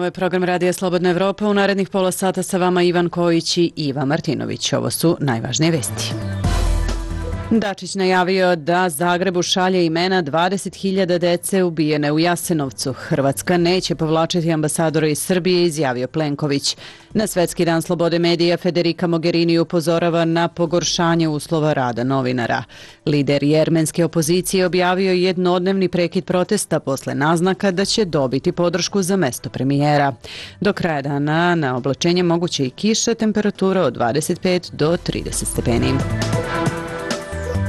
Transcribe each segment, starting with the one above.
je program Radija Slobodna Evropa. U narednih pola sata sa vama Ivan Kojić i Iva Martinović. Ovo su najvažnije vesti. Dačić najavio da Zagrebu šalje imena 20.000 dece ubijene u Jasenovcu. Hrvatska neće povlačiti ambasadora iz Srbije, izjavio Plenković. Na Svetski dan slobode medija Federica Mogherini upozorava na pogoršanje uslova rada novinara. Lider jermenske opozicije objavio jednodnevni prekid protesta posle naznaka da će dobiti podršku za mesto premijera. Do kraja dana na oblačenje moguće i kiša, temperatura od 25 do 30 stepeni.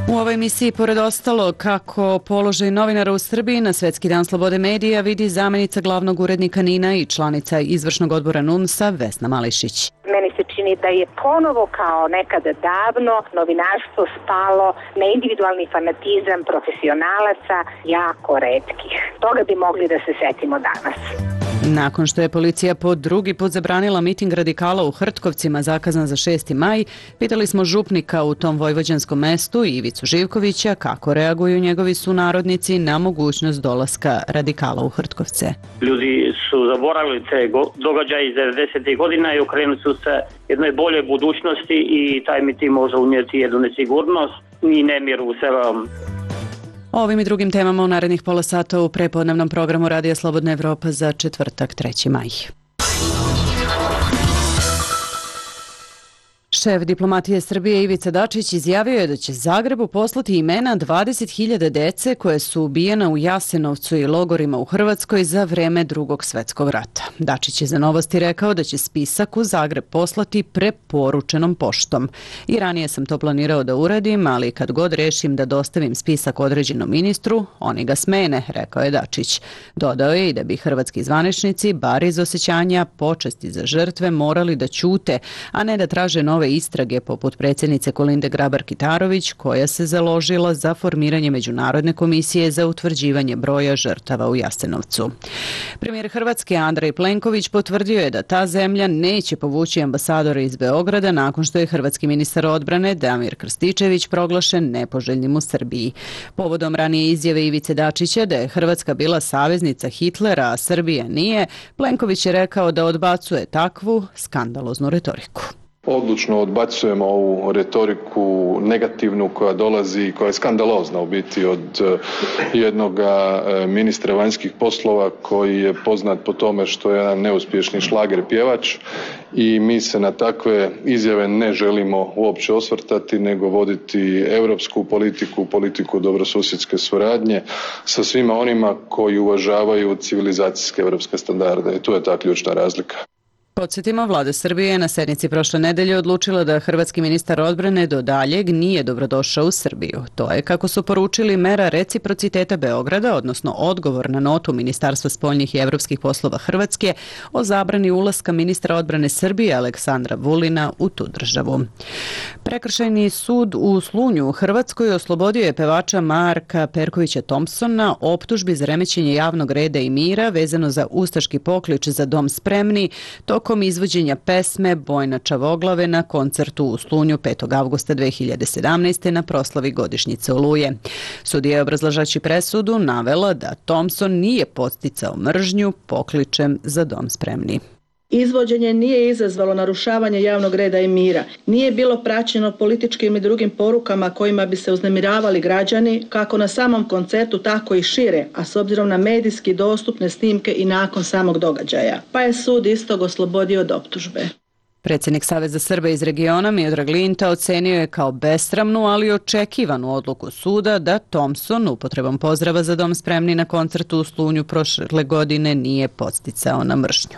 U ovoj emisiji, pored ostalo, kako položaj novinara u Srbiji na Svetski dan slobode medija vidi zamjenica glavnog urednika NIN-a i članica izvršnog odbora NUNS-a Vesna Mališić. Meni se čini da je ponovo kao nekada davno novinarstvo spalo na individualni fanatizam profesionalaca jako retkih. Toga bi mogli da se setimo danas. Nakon što je policija po drugi put zabranila miting radikala u Hrtkovcima zakazan za 6. maj, pitali smo župnika u tom vojvođanskom mestu Ivicu Živkovića kako reaguju njegovi sunarodnici na mogućnost dolaska radikala u Hrtkovce. Ljudi su zaboravili te događaje iz 90. godina i okrenuli su se jednoj boljoj budućnosti i taj miting može unijeti jednu nesigurnost i nemir u sebe. O ovim i drugim temama u narednih pola sata u prepodnevnom programu Radija Slobodna Evropa za četvrtak 3. maj. Šef diplomatije Srbije Ivica Dačić izjavio je da će Zagrebu poslati imena 20.000 dece koje su ubijena u Jasenovcu i logorima u Hrvatskoj za vreme Drugog svjetskog rata. Dačić je za Novosti rekao da će spisak u Zagreb poslati preporučenom poštom. I ranije sam to planirao da uradim, ali kad god rešim da dostavim spisak određenom ministru, oni ga smene, rekao je Dačić. Dodao je i da bi hrvatski zvaničnici, bar iz osjećanja počasti za žrtve, morali da ćute, a ne da traže nove istrage poput predsjednice Kolinde Grabar-Kitarović, koja se založila za formiranje Međunarodne komisije za utvrđivanje broja žrtava u Jasenovcu. Premijer Hrvatske Andrej Plenković potvrdio je da ta zemlja neće povući ambasadora iz Beograda nakon što je hrvatski ministar odbrane Damir Krstičević proglašen nepoželjnim u Srbiji. Povodom ranije izjave Ivice Dačića da je Hrvatska bila saveznica Hitlera, a Srbija nije, Plenković je rekao da odbacuje takvu skandaloznu retoriku. Odlučno odbacujemo ovu retoriku negativnu koja dolazi, koja je skandalozna u biti od jednog ministra vanjskih poslova koji je poznat po tome što je jedan neuspješni šlager pjevač i mi se na takve izjave ne želimo uopće osvrtati nego voditi europsku politiku, politiku dobrosusjedske suradnje sa svima onima koji uvažavaju civilizacijske europske standarde i tu je ta ključna razlika. Podsjetimo, vlada Srbije je na sednici prošle nedelje odlučila da hrvatski ministar odbrane do daljeg nije dobrodošao u Srbiju. To je, kako su poručili, mera reciprociteta Beograda, odnosno odgovor na notu Ministarstva spoljnih i evropskih poslova Hrvatske o zabrani ulaska ministra odbrane Srbije Aleksandra Vulina u tu državu. Prekršajni sud u Slunju u Hrvatskoj oslobodio je pevača Marka Perkovića Thompsona optužbi za remećenje javnog reda i mira vezano za ustaški poklič Za dom spremni tokom izvođenja pesme Bojna Čavoglave na koncertu u Slunju 5. avgusta 2017. na proslavi godišnjice Oluje. Sudija je obrazlažući presudu navela da Thompson nije podsticao mržnju pokličem Za dom spremni. Izvođenje nije izazvalo narušavanje javnog reda i mira. Nije bilo praćeno političkim i drugim porukama kojima bi se uznemiravali građani, kako na samom koncertu, tako i šire, a s obzirom na medijski dostupne snimke i nakon samog događaja. Pa je sud istog oslobodio od optužbe. Predsjednik Saveza Srba iz regiona Miodrag Linta ocenio je kao besramnu, ali očekivanu odluku suda da Thompson upotrebom pozdrava Za dom spremni na koncertu u Slunju prošle godine nije podsticao na mržnju.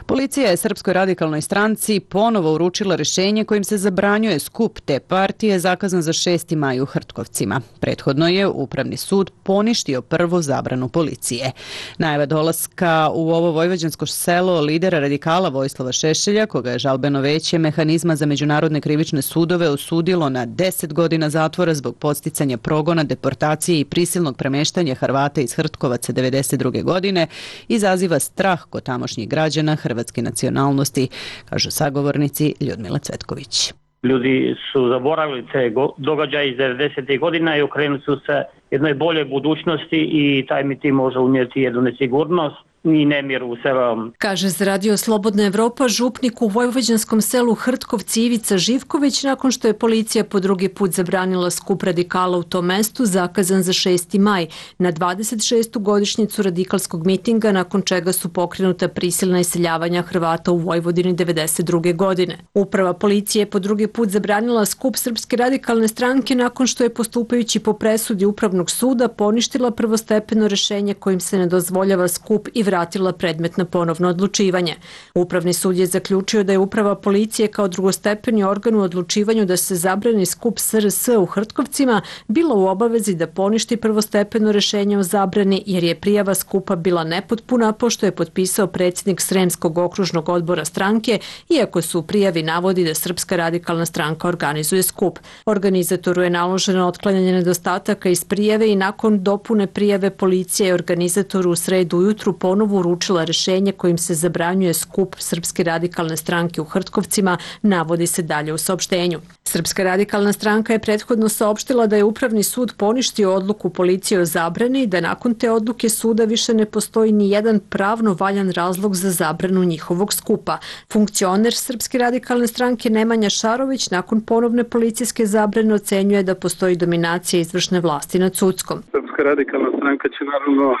Policija je Srpskoj radikalnoj stranci ponovo uručila rješenje kojim se zabranjuje skup te partije zakazan za 6. maj u Hrtkovcima. Prethodno je Upravni sud poništio prvu zabranu policije. Najava dolaska u ovo vojvođansko selo lidera radikala Vojislava Šešelja, koga je žalbeno veće mehanizma za međunarodne krivične sudove osudilo na 10 godina zatvora zbog podsticanja progona, deportacije i prisilnog premeštanja Hrvata iz Hrtkovaca 92. godine, izaziva strah kod tamošnjih građana hrvatske nacionalnosti, kažu sagovornici Ljudmila Cvetković. Ljudi su zaboravili te događaje iz 90. godina i okrenuli su se jednoj boljoj budućnosti i taj miting može unijeti jednu nesigurnost i nemir u selu. Kaže za Radio Slobodna Evropa župnik u vojvođanskom selu Hrtkovci Ivica Živković nakon što je policija po drugi put zabranila skup radikala u tom mestu zakazan za 6. maj na 26. godišnjicu radikalskog mitinga nakon čega su pokrenuta prisilna iseljavanja Hrvata u Vojvodini 92. godine. Uprava policije je po drugi put zabranila skup Srpske radikalne stranke nakon što je postupajući po presudi Upravnog suda poništila prvostepeno rešenje kojim se ne dozvoljava skup i vratila predmet na ponovno odlučivanje. Upravni sud je zaključio da je uprava policije kao drugostepeni organ u odlučivanju da se zabrani skup SRS u Hrtkovcima bila u obavezi da poništi prvostepeno rešenje o zabrani jer je prijava skupa bila nepotpuna pošto je potpisao predsjednik Sremskog okružnog odbora stranke, iako su u prijavi navodi da Srpska radikalna stranka organizuje skup. Organizatoru je naloženo otklanjanje nedostataka iz prijave i nakon dopune prijave policija je organizatoru u sredu ujutru ponovo uručila rešenje kojim se zabranjuje skup Srpske radikalne stranke u Hrtkovcima, navodi se dalje u saopštenju. Srpska radikalna stranka je prethodno saopštila da je Upravni sud poništio odluku policije o zabrani i da nakon te odluke suda više ne postoji ni jedan pravno valjan razlog za zabranu njihovog skupa. Funkcioner Srpske radikalne stranke Nemanja Šarović nakon ponovne policijske zabrane ocenjuje da postoji dominacija izvršne vlasti nad sudskom. Srpska radikalna stranka će naravno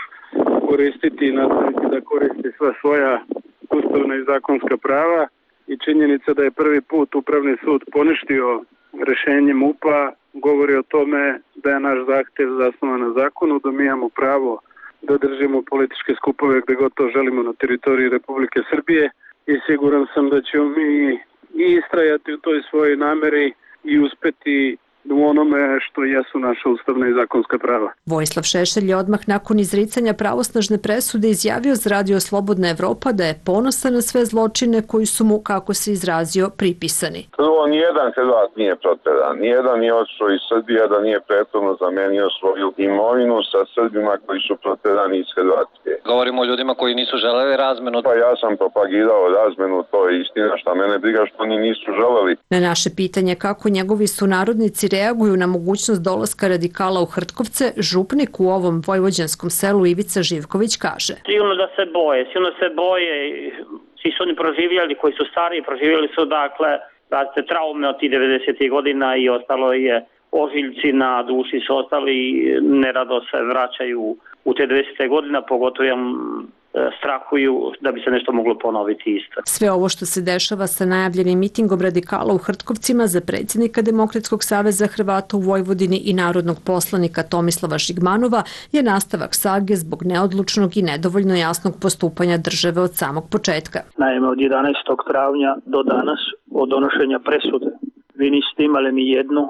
koristiti i nastaviti da koristi sva svoja ustavna i zakonska prava i činjenica da je prvi put Upravni sud poništio rešenje MUP-a govori o tome da je naš zahtev zasnovan na zakonu, da mi imamo pravo da držimo političke skupove gde god to želimo na teritoriji Republike Srbije i siguran sam da ćemo mi i istrajati u toj svojoj nameri i uspeti u onome što jesu naša ustavna i zakonska prava. Vojislav Šešelj je odmah nakon izricanja pravosnažne presude izjavio za Radio Slobodna Evropa da je ponosan na sve zločine koji su mu, kako se izrazio, pripisani. Prvo, nijedan Hrvat nije proteran, nijedan nije odšao iz Srbije da nije prethodno zamenio svoju imovinu sa Srbima koji su proterani iz Hrvatske. Govorimo o ljudima koji nisu želeli razmenu. Pa ja sam propagirao razmenu, to je istina, šta mene briga što oni nisu želeli. Na naše pitanje kako njegovi sunarodnici reaguju na mogućnost dolaska radikala u Hrtkovce, župnik u ovom vojvođanskom selu Ivica Živković kaže. Sigurno da se boje, svi su oni proživjeli, koji su stariji, proživjeli su dakle traume od tih 90. godina i ostalo je ožiljci na duši su ostali i nerado se vraćaju u te 90. godina, pogotovo strahuju da bi se nešto moglo ponoviti isto. Sve ovo što se dešava sa najavljenim mitingom radikala u Hrtkovcima za predsjednika Demokratskog saveza Hrvata u Vojvodini i narodnog poslanika Tomislava Žigmanova je nastavak sage zbog neodlučnog i nedovoljno jasnog postupanja države od samog početka. Naime, od 11. travnja do danas, od donošenja presude, vi niste imali ni jednu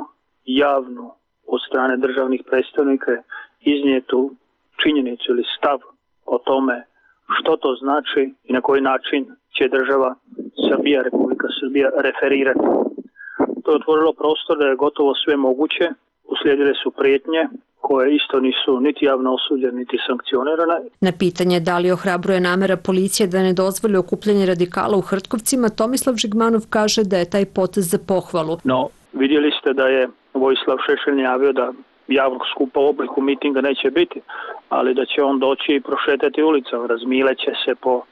javnu od strane državnih predstavnika iznijetu činjenicu ili stav o tome što to znači i na koji način će država Srbija, Republika Srbija referirati. To je otvorilo prostor da je gotovo sve moguće, uslijedile su prijetnje koje isto nisu niti javno osuđene, niti sankcionirane. Na pitanje da li ohrabruje namera policije da ne dozvoli okupljanje radikala u Hrtkovcima, Tomislav Žigmanov kaže da je taj potez za pohvalu. No, vidjeli ste da je Vojislav Šešelj najavio da javnog skupa u obliku mitinga neće biti, ali da će on doći i prošetati ulicom, razmileće se po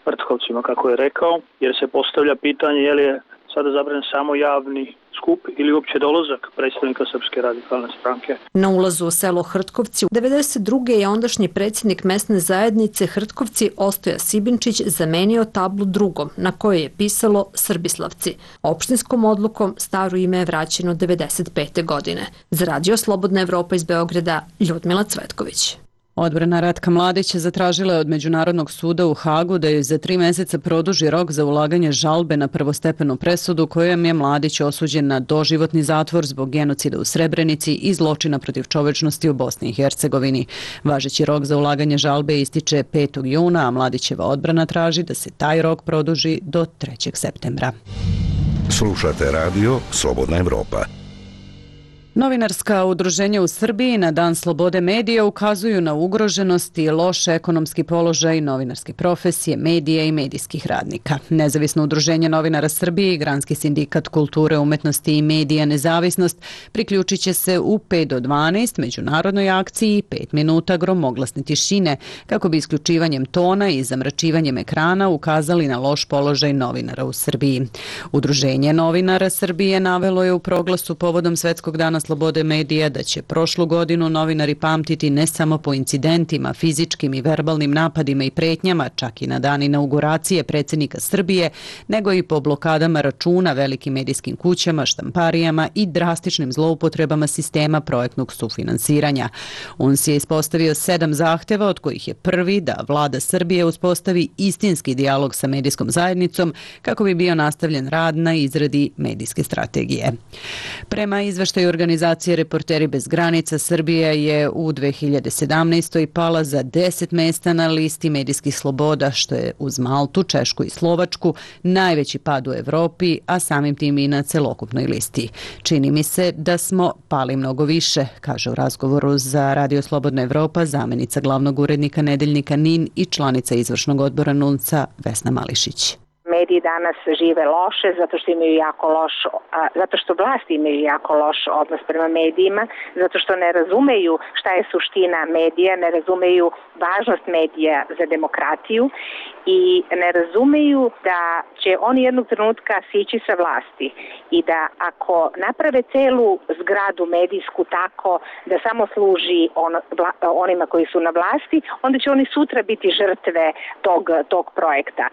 Hrtkovcima, kako je rekao, jer se postavlja pitanje je li je sada zabranjen samo javni skup ili uopće dolazak predstavnika Srpske radikalne stranke. Na ulazu u selo Hrtkovci 92. je ondašnji predsjednik mesne zajednice Hrtkovci Ostoja Sibinčić zamenio tablu drugom na kojoj je pisalo Srbislavci. Opštinskom odlukom staro ime je vraćeno 95. godine. Za Radio Slobodna Evropa iz Beograda, Ljudmila Cvetković. Odbrana Ratka Mladića zatražila je od Međunarodnog suda u Hagu da joj za 3 meseca produži rok za ulaganje žalbe na prvostepenu presudu kojom je Mladić osuđen na doživotni zatvor zbog genocida u Srebrenici i zločina protiv čovečnosti u Bosni i Hercegovini. Važeći rok za ulaganje žalbe ističe 5. juna, a Mladićeva odbrana traži da se taj rok produži do 3. septembra. Slušate Radio Slobodna Evropa. Novinarska udruženja u Srbiji na Dan slobode medija ukazuju na ugroženost i loš ekonomski položaj novinarske profesije, medija i medijskih radnika. Nezavisno udruženje novinara Srbije i Granski sindikat kulture, umetnosti i medija Nezavisnost priključit će se u 5 do 12 međunarodnoj akciji 5 minuta gromoglasne tišine kako bi isključivanjem tona i zamračivanjem ekrana ukazali na loš položaj novinara u Srbiji. Udruženje novinara Srbije navelo je u proglasu povodom Svetskog dana slobode medija da će prošlu godinu novinari pamtiti ne samo po incidentima, fizičkim i verbalnim napadima i pretnjama, čak i na dan inauguracije predsjednika Srbije, nego i po blokadama računa velikim medijskim kućama, štamparijama i drastičnim zloupotrebama sistema projektnog sufinansiranja. UNS je ispostavio 7 zahteva, od kojih je prvi da vlada Srbije uspostavi istinski dijalog sa medijskom zajednicom kako bi bio nastavljen rad na izradi medijske strategije. Prema izveštaju organizacije Reporteri bez granica, Srbija je u 2017. pala za 10 mesta na listi medijskih sloboda, što je uz Maltu, Češku i Slovačku najveći pad u Evropi, a samim tim i na celokupnoj listi. Čini mi se da smo pali mnogo više, kaže u razgovoru za Radio Slobodna Evropa zamjenica glavnog urednika nedeljnika NIN i članica izvršnog odbora NUNS-a Vesna Mališić. Mediji danas žive loše zato što vlasti imaju jako loš odnos prema medijima, zato što ne razumeju šta je suština medija, ne razumeju važnost medija za demokratiju i ne razumeju da će oni jednog trenutka sići sa vlasti i da ako naprave celu zgradu medijsku tako da samo služi onima koji su na vlasti, onda će oni sutra biti žrtve tog projekta.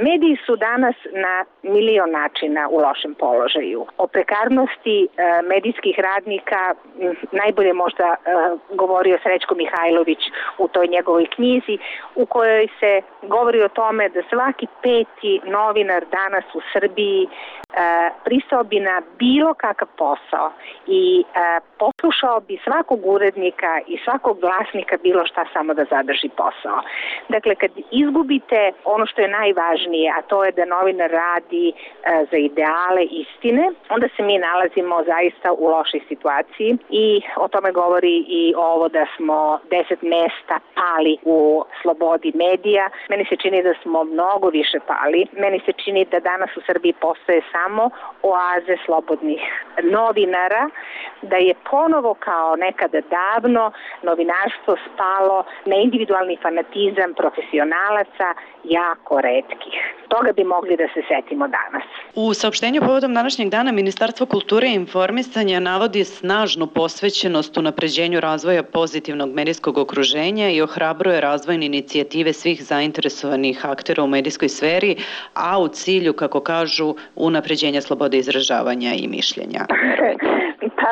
Mediji su danas na milion načina u lošem položaju. O prekarnosti medijskih radnika najbolje možda govorio Srećko Mihajlović u toj njegovoj knjizi u kojoj se govori o tome da svaki 5. novinar danas u Srbiji pristao bi na bilo kakav posao i poslušao bi svakog urednika i svakog glasnika bilo šta samo da zadrži posao. Dakle, kad izgubite ono što je najvažnije, a to je da novinar radi za ideale istine, onda se mi nalazimo zaista u lošoj situaciji i o tome govori i ovo da smo 10 mesta pali u slobodi medija. Meni se čini da smo mnogo više pali. Meni se čini da danas u Srbiji postoje samo oaze slobodnih novinara, da je ponovo kao nekada davno novinarstvo spalo na individualni fanatizam profesionalaca jako retkih. Toga bi mogli da se setimo danas. U saopštenju povodom današnjeg dana Ministarstvo kulture i informisanja navodi snažnu posvećenost unapređenju razvoja pozitivnog medijskog okruženja i ohrabruje razvojne inicijative svih zainteresovanih aktera u medijskoj sferi, a u cilju, kako kažu, unapređenja slobode izražavanja i mišljenja. Pa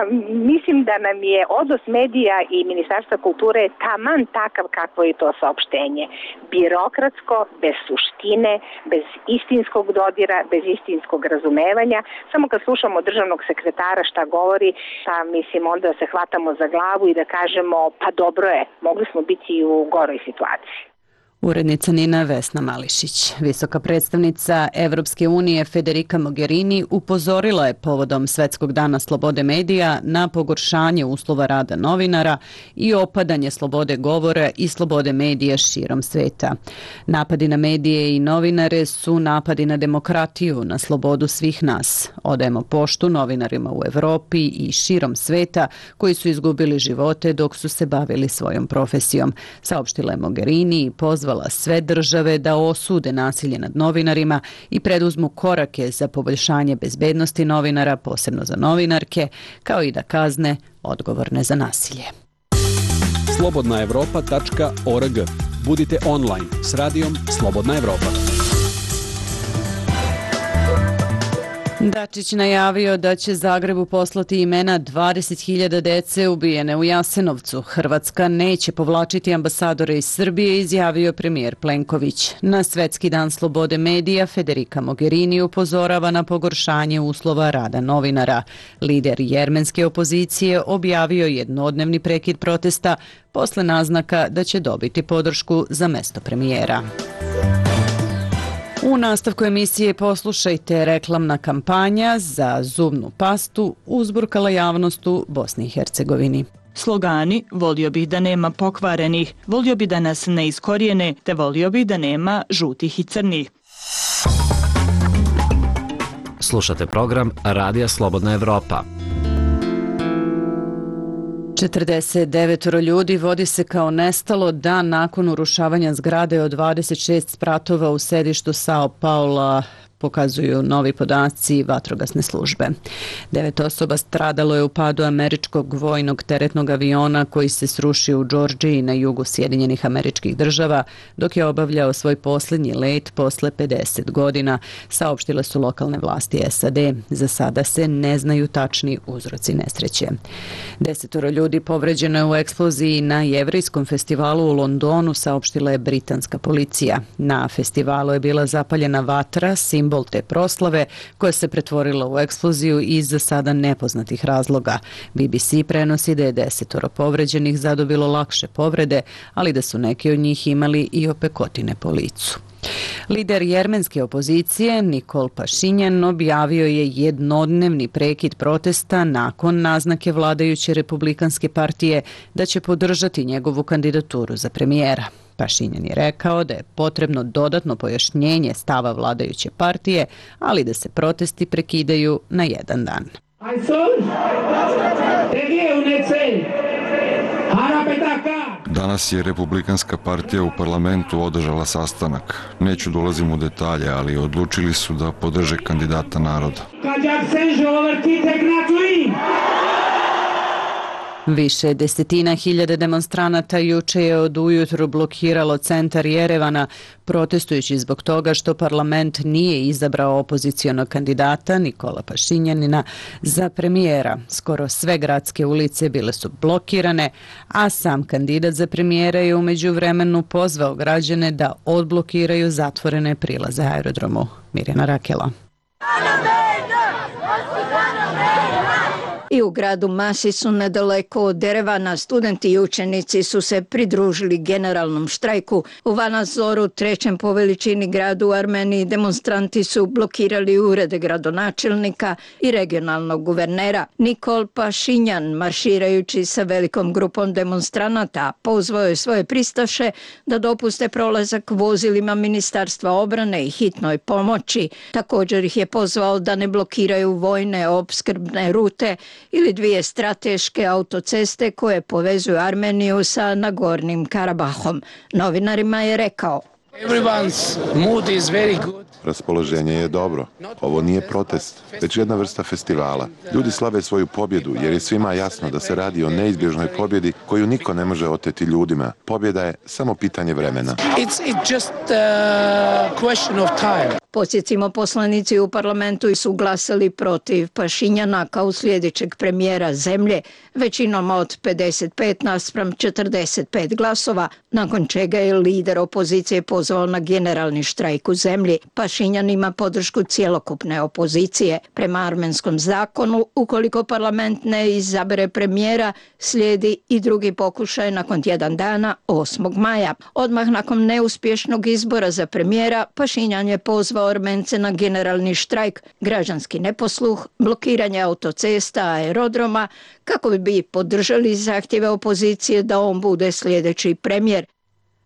mislim da nam je odnos medija i Ministarstva kulture taman takav kakvo je to saopštenje. Birokratsko, bez suštine, bez istinskog dodira, bez istinskog razumevanja. Samo kad slušamo državnog sekretara šta govori, pa mislim onda se hvatamo za glavu i da kažemo pa dobro je, mogli smo biti i u goroj situaciji. Urednica NIN-a Vesna Mališić. Visoka predstavnica Evropske unije Federica Mogherini upozorila je povodom Svetskog dana slobode medija na pogoršanje uslova rada novinara i opadanje slobode govora i slobode medija širom sveta. Napadi na medije i novinare su napadi na demokratiju, na slobodu svih nas. Odajemo poštu novinarima u Evropi i širom sveta koji su izgubili živote dok su se bavili svojom profesijom, saopštila je Mogherini i pozvala sve države da osude nasilje nad novinarima i preduzmu korake za poboljšanje bezbednosti novinara, posebno za novinarke, kao i da kazne odgovorne za nasilje. Slobodnaevropa.org. Budite online s radijom Slobodna Evropa. Dačić najavio da će Zagrebu poslati imena 20.000 dece ubijene u Jasenovcu. Hrvatska neće povlačiti ambasadore iz Srbije, izjavio premijer Plenković. Na Svetski dan slobode medija Federica Mogherini upozorava na pogoršanje uslova rada novinara. Lider jermenske opozicije objavio jednodnevni prekid protesta posle naznaka da će dobiti podršku za mesto premijera. U nastavku emisije poslušajte, reklamna kampanja za zubnu pastu uzburkala javnost u Bosni i Hercegovini. Slogani: volio bih da nema pokvarenih, volio bih da nas ne iskorijene, te volio bih da nema žutih i crnih. Slušate program Radija Slobodna Evropa. 49 ljudi vodi se kao nestalo dan nakon urušavanja zgrade od 26 spratova u sedištu Sao Paula, pokazuju novi podaci vatrogasne službe. 9 osoba stradalo je u padu američkog vojnog teretnog aviona koji se srušio u Džordžiji na jugu Sjedinjenih Američkih Država dok je obavljao svoj posljednji let posle 50 godina, saopštile su lokalne vlasti SAD. Za sada se ne znaju tačni uzroci nesreće. 10 ljudi povređeno je u eksploziji na Jevrejskom festivalu u Londonu, saopštila je britanska policija. Na festivalu je bila zapaljena vatra, simbol te proslave, koja se pretvorila u eksploziju iz za sada nepoznatih razloga. BBC prenosi da je 10 povređenih zadobilo lakše povrede, ali da su neki od njih imali i opekotine po licu. Lider jermenske opozicije Nikol Pašinjan objavio je jednodnevni prekid protesta nakon naznake vladajuće Republikanske partije da će podržati njegovu kandidaturu za premijera. Pašinjan je rekao da je potrebno dodatno pojašnjenje stava vladajuće partije, ali da se protesti prekidaju na jedan dan. Danas je Republikanska partija u parlamentu održala sastanak. Neću dolazim u detalje, ali odlučili su da podrže kandidata naroda. Više desetina hiljada demonstranata juče je od ujutru blokiralo centar Jerevana, protestujući zbog toga što parlament nije izabrao opozicionog kandidata Nikola Pašinjanina za premijera. Skoro sve gradske ulice bile su blokirane, a sam kandidat za premijera je u međuvremenu pozvao građane da odblokiraju zatvorene prilaze aerodromu. Mirjana Rakela. I u gradu Masisu, nedaleko od Erevana, studenti i učenici su se pridružili generalnom štrajku. U Vanazoru, trećem po veličini gradu u Armeniji, demonstranti su blokirali urede gradonačelnika i regionalnog guvernera. Nikol Pašinjan, marširajući sa velikom grupom demonstranata, pozvao je svoje pristaše da dopuste prolazak vozilima Ministarstva obrane i hitnoj pomoći. Također ih je pozvao da ne blokiraju vojne opskrbne rute ili dvije strateške autoceste koje povezuju Armeniju sa Nagornim Karabahom. Novinarima je rekao: Raspoloženje je dobro. Ovo nije protest, već jedna vrsta festivala. Ljudi slave svoju pobjedu jer je svima jasno da se radi o neizbježnoj pobjedi koju niko ne može oteti ljudima. Pobjeda je samo pitanje vremena. Podsjetimo, poslanici u parlamentu su glasali protiv Pašinjana kao sljedećeg premijera zemlje, većinom od 55:45 glasova, nakon čega je lider opozicije pozvao na generalni štrajk u zemlji. Pašinjan ima podršku cjelokupne opozicije. Prema armenskom zakonu, ukoliko parlament ne izabere premijera, slijedi i drugi pokušaj nakon tjedan dana, 8. maja. Odmah nakon neuspješnog izbora za premijera, Pašinjan je pozvao Armence na generalni štrajk, građanski neposluh, blokiranje autocesta, aerodroma, kako bi podržali zahtjeve opozicije da on bude sljedeći premijer.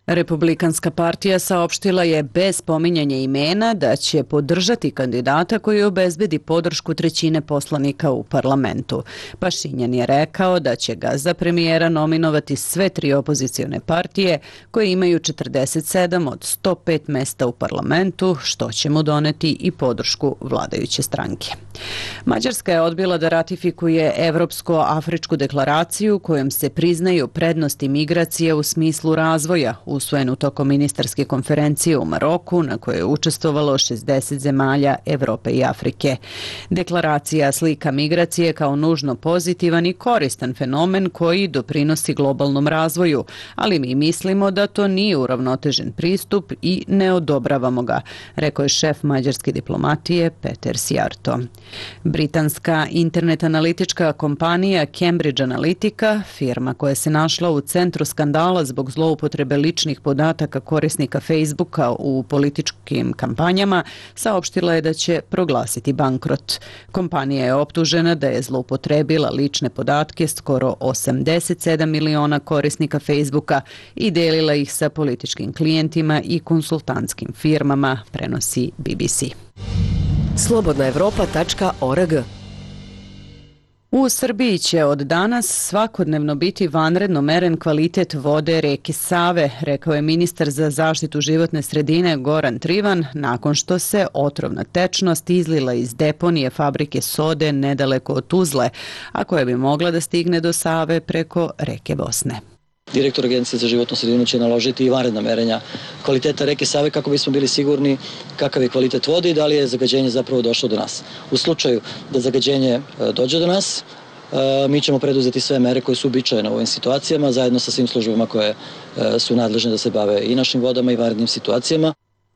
Republikanska partija saopštila je bez spominjanja imena da će podržati kandidata koji obezbedi podršku trećine poslanika u parlamentu. Pašinjan je rekao da će ga za premijera nominovati sve tri opozicione partije koje imaju 47 od 105 mesta u parlamentu, što će mu doneti i podršku vladajuće stranke. Mađarska je odbila da ratifikuje Evropsko-afričku deklaraciju kojom se priznaju prednosti migracije u smislu razvoja, usvojenu tokom ministarske konferencije u Maroku na kojoj je učestvovalo 60 zemalja Evrope i Afrike. Deklaracija slika migracije kao nužno pozitivan i koristan fenomen koji doprinosi globalnom razvoju, ali mi mislimo da to nije uravnotežen pristup i ne odobravamo ga, rekao je šef mađarske diplomatije Peter Sjarto. Britanska internet analitička kompanija Cambridge Analytica, firma koja se našla u centru skandala zbog zloupotrebe ličnih ličnih podataka korisnika Facebooka u političkim kampanjama, saopštila je da će proglasiti bankrot. Kompanija je optužena da je zloupotrebila lične podatke skoro 87 miliona korisnika Facebooka i delila ih sa političkim klijentima i konsultantskim firmama, prenosi BBC. Slobodnaevropa.org. U Srbiji će od danas svakodnevno biti vanredno meren kvalitet vode reke Save, rekao je ministar za zaštitu životne sredine Goran Trivan, nakon što se otrovna tečnost izlila iz deponije fabrike sode nedaleko od Tuzle, a koja bi mogla da stigne do Save preko reke Bosne. Direktor Agencije za životnu sredinu će naložiti i vanredna merenja kvaliteta reke Save kako bismo bili sigurni kakav je kvalitet vode i da li je zagađenje zapravo došlo do nas. U slučaju da zagađenje dođe do nas, mi ćemo preduzeti sve mere koje su uobičajene u ovim situacijama, zajedno sa svim službama koje su nadležne da se bave i našim vodama i vanrednim situacijama.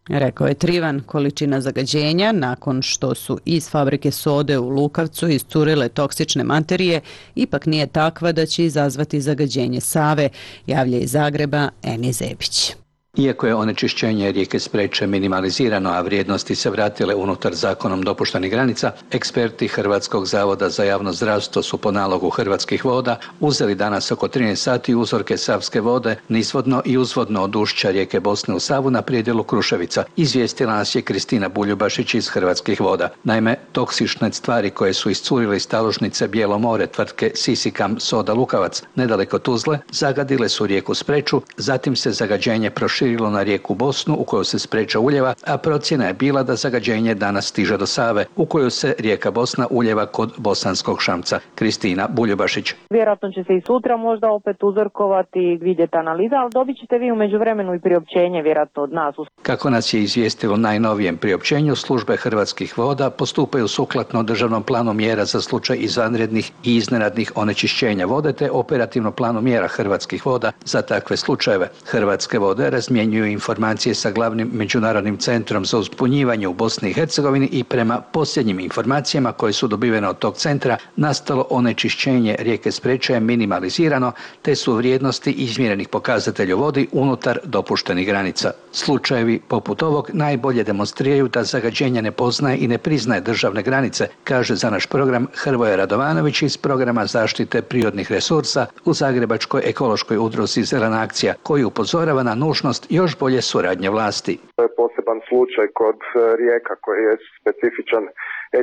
Rekao je Trivan, količina zagađenja nakon što su iz fabrike sode u Lukavcu iscurile toksične materije ipak nije takva da će izazvati zagađenje Save, javlja iz Zagreba Eni Zebić. Iako je onečišćenje rijeke Spreče minimalizirano, a vrijednosti se vratile unutar zakonom dopuštenih granica, eksperti Hrvatskog zavoda za javno zdravstvo su po nalogu Hrvatskih voda uzeli danas oko 13 sati uzorke savske vode nizvodno i uzvodno od ušća rijeke Bosne u Savu na predjelu Kruševica. Izvijestila nas je Kristina Buljubašić iz Hrvatskih voda. Naime, toksične stvari koje su iscurile iz taložnice Bijelo more tvrtke Sisikam Soda Lukavac nedaleko Tuzle zagadile su rijeku Spreču, zatim se zagađenje proširilo na rijeku Bosnu u kojoj se Spreča uljeva, a procjena je bila da zagađenje danas stiže do Save u koju se rijeka Bosna uljeva kod Bosanskog Šamca. Kristina Buljubašić. Vjerojatno će se i sutra možda opet uzorkovati i vidjeti analiza, ali dobit ćete vi u međuvremenu i priopćenje vjerojatno od nas. Kako nas je izvijestilo najnovijem priopćenju, službe Hrvatskih voda postupaju sukladno državnom planu mjera za slučaj izvanrednih i iznenadnih onečišćenja vode te operativno planu mjera Hrvatskih voda za takve slučajeve. Hrvatske vode razmjenjuju informacije sa glavnim međunarodnim centrom za uzbunjivanje u Bosni i Hercegovini i prema posljednjim informacijama koje su dobivene od tog centra, nastalo onečišćenje rijeke Spreče je minimalizirano te su vrijednosti izmjerenih pokazatelja u vodi unutar dopuštenih granica. Slučajevi poput ovog najbolje demonstriraju da zagađenje ne poznaje i ne priznaje državne granice, kaže za naš program Hrvoje Radovanović iz programa zaštite prirodnih resursa u Zagrebačkoj ekološkoj udruzi Zelena akcija, koji upozorava na nužnost još bolje suradnje vlasti. To je poseban slučaj kod rijeka koji je specifičan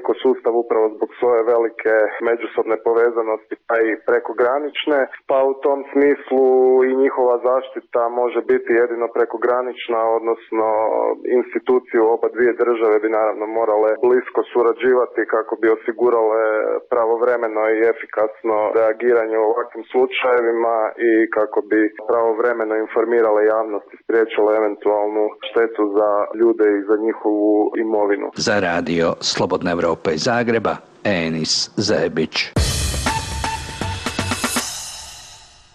ekosustav upravo zbog svoje velike međusobne povezanosti pa i prekogranične, pa u tom smislu i njihova zaštita može biti jedino prekogranična, odnosno institucije u oba dvije države bi naravno morale blisko surađivati kako bi osigurale pravovremeno i efikasno reagiranje u ovakvim slučajevima i kako bi pravovremeno informirale javnost i spriječile eventualnu štetu za ljude i za njihovu imovinu. Za radio Slobodna Evropa iz Zagreba, Enis Zebić.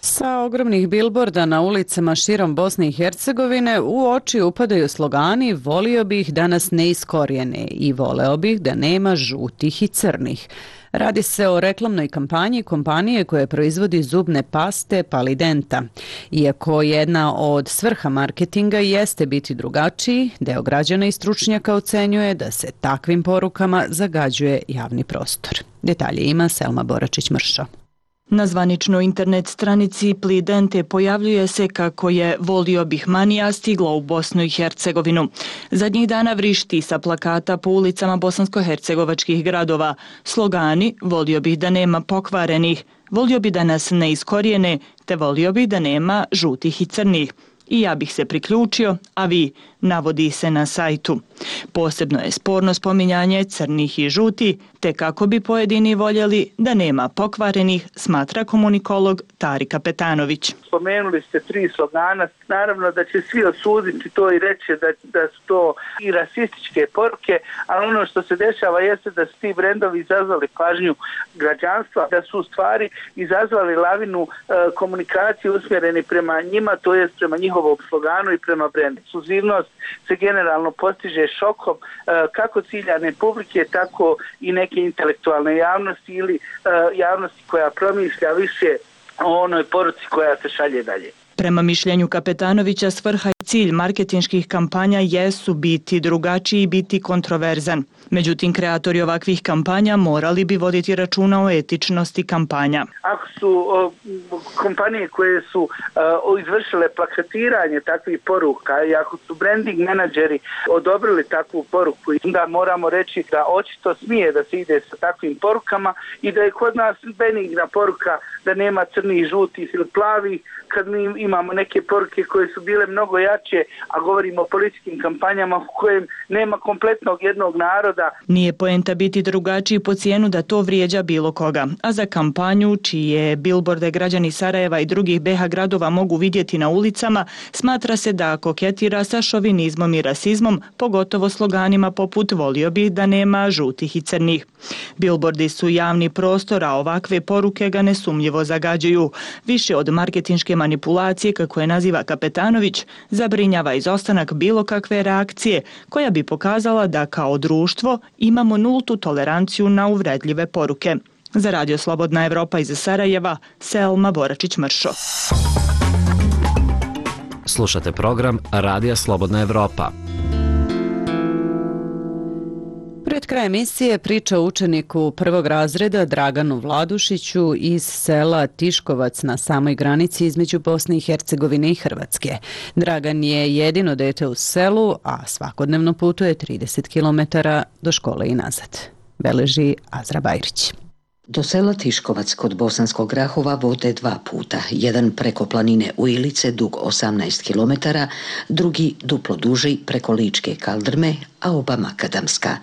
Sa ogromnih bilborda na ulicama širom Bosne i Hercegovine u oči upadaju slogani "Volio bih da nas ne iskorijene" i "Voleo bih da nema žutih i crnih". Radi se o reklamnoj kampanji kompanije koja proizvodi zubne paste Palidenta. Iako jedna od svrha marketinga jeste biti drugačiji, deo građana i stručnjaka ocenjuje da se takvim porukama zagađuje javni prostor. Detalje ima Selma Boračić-Mršo. Na zvaničnoj internet stranici Plidente pojavljuje se kako je "Volio bih manija" stigla u Bosnu i Hercegovinu. Zadnjih dana vrišti sa plakata po ulicama bosansko-hercegovačkih gradova. Slogani "Volio bih da nema pokvarenih", "Volio bih da nas ne iskorijene", te "Volio bih da nema žutih i crnih". I ja bih se priključio, a vi, navodi se na sajtu. Posebno je sporno spominjanje crnih i žuti, te kako bi pojedini voljeli da nema pokvarenih, smatra komunikolog Tarika Petanović. Spomenuli ste 3 slogana, naravno da će svi osuditi to i reći da su to i rasističke poruke, ali ono što se dešava jeste da su ti brendovi izazvali pažnju građanstva, da su u stvari izazvali lavinu komunikacije usmjereni prema njima, to jest prema njihovom sloganu i prema brendu. Ekskluzivnost se generalno postiže šokom kako ciljane publike, tako i neke intelektualne javnosti ili javnosti koja promišlja više o onoj poruci koja se šalje dalje. Prema mišljenju Kapetanovića, svrha i cilj marketinških kampanja jesu biti drugačiji i biti kontroverzan. Međutim, kreatori ovakvih kampanja morali bi voditi računa o etičnosti kampanja. Ako su kompanije koje su izvršile plakatiranje takvih poruka i ako su branding menadžeri odobrili takvu poruku, onda moramo reći da očito smije da se ide sa takvim porukama i da je kod nas benigna poruka da nema crnih, žutih ili plavih, kad mi imamo neke poruke koje su bile mnogo jače, a govorimo o političkim kampanjama u kojem nema kompletnog jednog naroda. Nije poenta biti drugačiji po cijenu da to vrijeđa bilo koga, a za kampanju, čije bilborde građani Sarajeva i drugih BiH gradova mogu vidjeti na ulicama, smatra se da koketira sa šovinizmom i rasizmom, pogotovo sloganima poput volio bih da nema žutih i crnih. Bilbordi su javni prostor, a ovakve poruke ga nesumnjivo zagađuju. Više od marketinške manipulacije, kako je naziva Kapetanović, zabrinjava izostanak bilo kakve reakcije koja bi pokazala da kao društvo imamo nultu toleranciju na uvredljive poruke. Za Radio Slobodna Evropa iz Sarajeva, Selma Boračić-Mršo. Slušate program Radija Slobodna Evropa. Pred kraj emisije priča o učeniku prvog razreda Draganu Vladušiću iz sela Tiškovac na samoj granici između Bosne i Hercegovine i Hrvatske. Dragan je jedino dete u selu, a svakodnevno putuje 30 km do škole i nazad. Beleži Azra Bajrić. Do sela Tiškovac kod Bosanskog Grahova vode dva puta. Jedan preko planine Ujilice, dug 18 km, drugi duplo duži preko Ličke Kaldrme, a oba makadamska.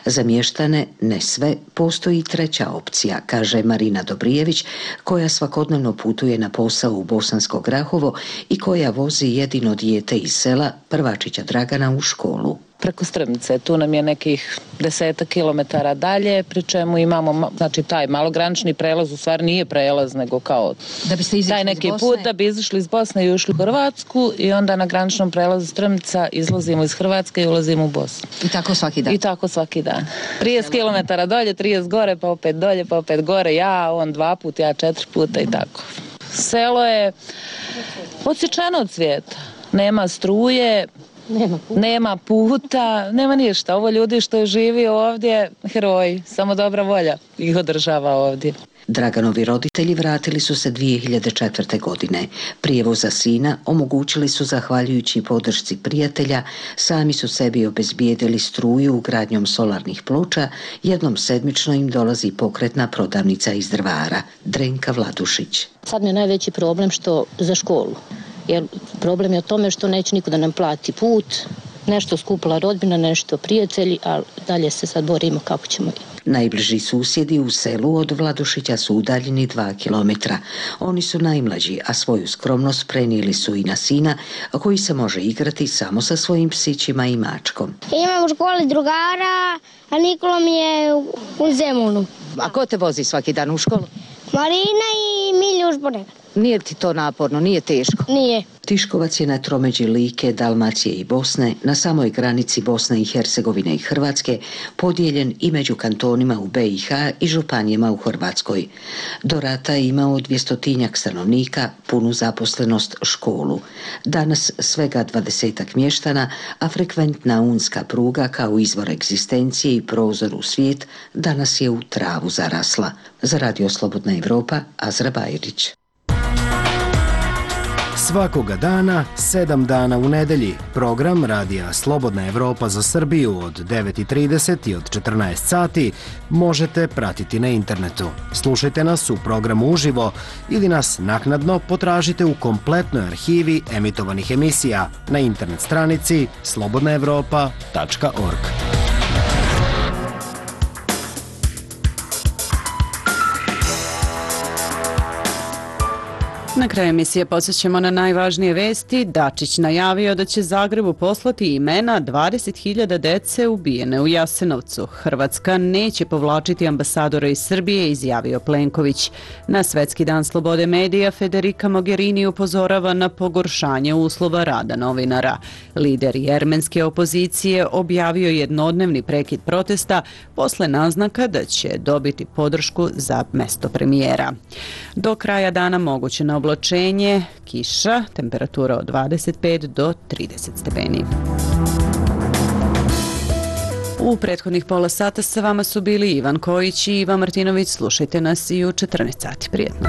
Za mještane, ne sve, postoji treća opcija, kaže Marina Dobrijević, koja svakodnevno putuje na posao u Bosansko Grahovo i koja vozi jedino dijete iz sela, prvačića Dragana, u školu. Preko Strmice, tu nam je nekih 10 kilometara dalje, pri čemu imamo, znači taj malogranični prelaz u stvari nije prelaz, nego kao da biste taj neki put da bi izašli iz Bosne i ušli u Hrvatsku i onda na graničnom prelazu Strmica izlazimo iz Hrvatske i ulazimo u Bosnu. I tako svaki dan? I tako svaki dan. 30 kilometara dolje, 30 gore, pa opet dolje, pa opet gore, ja, on 2 puta, ja 4 puta i tako. Selo je odsječeno od svijeta, nema struje, nema puta, nema ništa. Ovo ljudi što živi ovdje, heroji, samo dobra volja ih održava ovdje. Draganovi roditelji vratili su se 2004. godine. Prijevoz za sina omogućili su zahvaljujući podršci prijatelja, sami su sebi obezbijedili struju ugradnjom solarnih ploča, jednom sedmično im dolazi pokretna prodavnica iz Drvara, Drenka Vladušić. Sad mi je najveći problem što za školu. Jer problem je o tome što neće niko da nam plati put, nešto skupila rodbina, nešto prijatelji, a dalje se sad borimo kako ćemo. Najbliži susjedi u selu od Vladušića su udaljeni 2 kilometra. Oni su najmlađi, a svoju skromnost prenijeli su i na sina, koji se može igrati samo sa svojim psićima i mačkom. Imam u školi drugara, a Nikola mi je u Zemunu. A ko te vozi svaki dan u školu? Marina i Miljuš ponekad. Nije ti to naporno, nije teško? Nije. Tiškovac je na tromeđi Like, Dalmacije i Bosne, na samoj granici Bosne i Hercegovine i Hrvatske, podijeljen i među kantonima u BiH i županijama u Hrvatskoj. Do rata je imao 200-tinjak stanovnika, punu zaposlenost, školu. Danas svega 20-ak mještana, a frekventna unska pruga kao izvor egzistencije i prozor u svijet danas je u travu zarasla. Za Radio Slobodna Evropa, Azra Bajrić. Svakoga dana, 7 dana u nedelji, program Radija Slobodna Evropa za Srbiju od 9:30 i od 14 sati možete pratiti na internetu. Slušajte nas u programu uživo ili nas naknadno potražite u kompletnoj arhivi emitovanih emisija na internet stranici slobodnaevropa.org. Na kraju emisije podsjećamo na najvažnije vesti. Dačić najavio da će Zagrebu poslati imena 20.000 dece ubijene u Jasenovcu. Hrvatska neće povlačiti ambasadora iz Srbije, izjavio Plenković. Na Svetski dan slobode medija Federica Mogherini upozorava na pogoršanje uslova rada novinara. Lider jermenske opozicije objavio jednodnevni prekid protesta posle naznaka da će dobiti podršku za mesto premijera. Do kraja dana moguće na oblačenje, kiša, temperatura od 25 do 30 stepeni. U prethodnih pola sata sa vama su bili Ivan Kojić i Ivan Martinović. Slušajte nas i u 14 sati. Prijetno.